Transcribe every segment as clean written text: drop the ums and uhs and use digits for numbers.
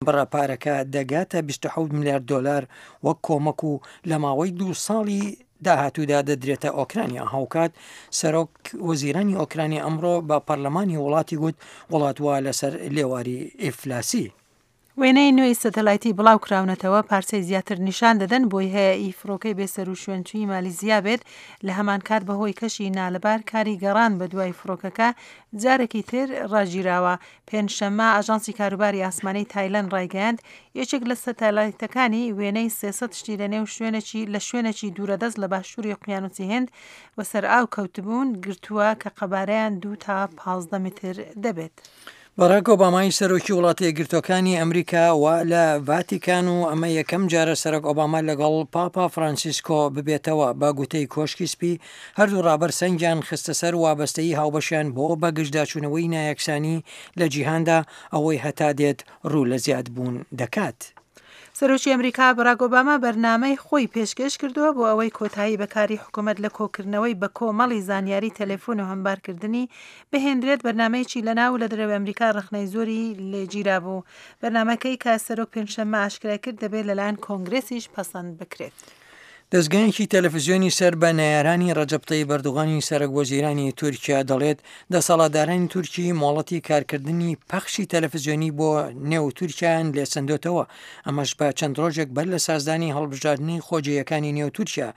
بڕە پارەکە دەگاتە 27 ملیار دۆلار وەک کۆمەک و لە ماوەی دوو ساڵی داهاتوودا دەدرێتە ئۆکرانیا. هاوکات سەرۆک وەزیرانی ئۆکرانیا ئەمڕۆ بە پەرلەمانی وڵاتی گوت وڵات وا لەسەر لێواری ئیفلاسی. وێنەی نوێی سەتەلایتی بڵاوکراونەتەوە پارچەی زیاتر نیشان دەدەن بۆی هەیە ئی فڕۆکەی بێسەروشوێنچووی مالیزیا بێت، لەهەمانکات بەهۆی کەشی نالەبار کاری گەڕان بەدوای فڕۆکەکە جارێکی تر ڕاگیراوە. پێنجشەممە، ئاژانسی کاروباری ئاسمانی تایلەند ڕایگەیاند، یەکێک لە سەتەلایتەکانی وێنەی 300 شتی لە نێو شوێنێکی لە شوێنێکی دوورەدەست لە باشووری ئۆقیانوسی هند وەسەرئاو کەوتبوون گرتووە کە قەبارەیان دوو تا 15 متر دەبێت. باراک ئۆبامای سەرۆکی وڵاتە یەکگرتووەکانی ئەمریکا و لە ڤاتیکان و ئەمە یەکەم جارە سەرۆک ئۆباما لەگەڵ پاپا فرانسیسکۆ ببێتەوە بە گوتەی کۆشکی سپی هەردوو ڕابەر سەنگیان خستە سەر وابەستەیی هاوبەشیان بۆ بەگژداچوونەوەی نایەکسانی لە جیهاندا، ئەوەی هەتا دێت ڕوو لە زیادبوون دەکات. سەرۆکی ئەمریکا باراک ئۆباما بەرنامەی خۆی پێشکێش کردووە بۆ ئەوەی کۆتایی بە کاری حکومەت لە کۆکردنەوەی بەکۆمەڵی زانیاری تەلەفۆن و هەمبارکردنی بهێندرێت، بەرنامەیەکی لە ناو و لە دەرەوەی ئەمریکا ڕەخنەی زۆری لێگیرابوو. بەرنامەکەی کە سەرۆک پێنجشەممە ئاشکرای کرد دەبێت لەلایەن کۆنگرێسیش پەسەند بکرێت. دەزگایەکی تەلەفزیۆنی سەر بە نەیارانی ڕەجەب تەیب ئەردوغانی سەرەک وەزیرانی تورکیا دەڵێت، دەسەڵاتدارانی تورکی مۆڵەتی کارکردنی پەخشی تەلەفزیۆنی بۆ نێو تورکیایان لێسەندۆتەوە، ئەمەش بە چەند ڕۆژێک بەر لە سازدانی هەڵبژاردنی خۆجێیەکانی نێو تورکیا.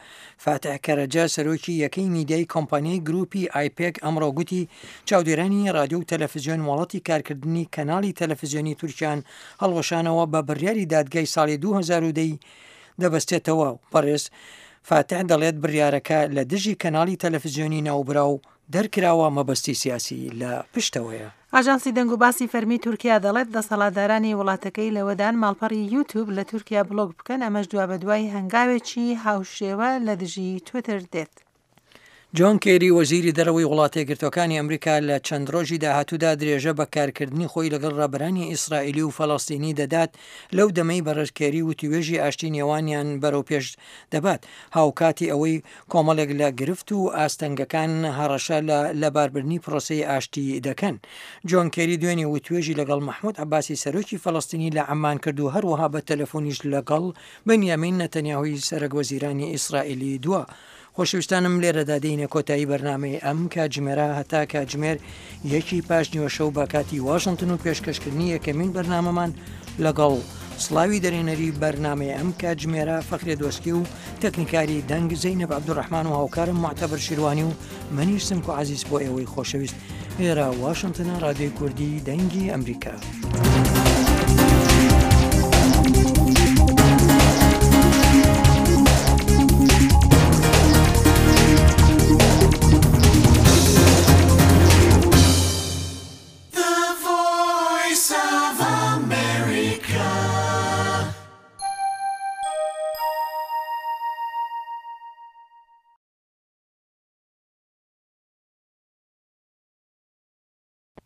فاتح کەرەجە سەرۆکی یەکەی میدیای کۆمپانیای گروپی ئایپێک ئەمڕۆ گوتی، چاودێرانی ڕادیۆ و تەلەفزیۆن مۆڵەتی کارکردنی کەناڵی تەلەفزیۆنی تورکیان هەڵوەشانەوە بە بڕیاری دادگای ساڵی 2010 ی دەبەستێتەوە و بەڕێز فاتح دەڵێت بڕیارەکە لە دژی کەناڵی تەلەفزیۆنی ناوبراو دەرکراوە مەبەستی سیاسی لە پشتەوەیە. ئاژانسی دەنگوباسی فەرمی تورکیا دەڵێت، دەسەڵاتدارانی وڵاتەکەی لەوەدان ماڵپەڕی یوتوب لە تورکیا بڵۆک بکەن، ئەمەش دوابەدوای هەنگاوێکی هاوشێوە لە دژی تویتەر دێت. جۆن کێری وەزیری دەرەوەی وڵاتەیەکگرتووەکانی ئەمریکا لە چەند ڕۆژی داهاتوودا درێژە بە کارکردنی خۆی لەگەڵ ڕابەرانی ئیسرائیلی و فەلەستینی دەدات لەو دەمەی بەڕێز کێری وتووێژی ئاشتی نێوانیان بەرەوپێش دەبات هاوکاتی ئەوەی کۆمەڵێک لە گرفت و ئاستەنگەکان هەڕەشە لە لەباربردنی پرۆسەی ئاشتی دەکەن. جۆن کێری دوێنێ وتوێژی لەگەڵ مەحمود عەباسی سەرۆکی فەلەستینی لە عەممان کرد و هەروەها بە تەلەفۆنیش لەگەڵ بنیامین نەتەنیاهۆی سەرەک وەزیرانی ئیسرائیلی دوا. خۆشەویستانم لێرەدا دێینە کۆتایی بەرنامەی ئەم کاتژمێرە هەتا کاتژمێر یەکی پاش نیوەشەو بە کاتی واشنتن و پێشکەشکردنی یەکەمین بەرنامەمان لەگەڵ سڵاوی دەرێنەری بەرنامەی ئەم کاتژمێرە فەخرێ دۆسکی و تەکنیکاری دەنگ زەینەب عەبدولڕەحمان و هاوکارم موعتەبەر شیروانی و منیش سمکۆ عەزیز بۆ ئێوەی خۆشەویست ئێرە واشنتنە ڕادیۆی کوردی دەنگی ئەمریکا.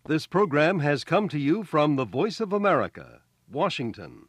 This program has come to you from the Voice of America, Washington.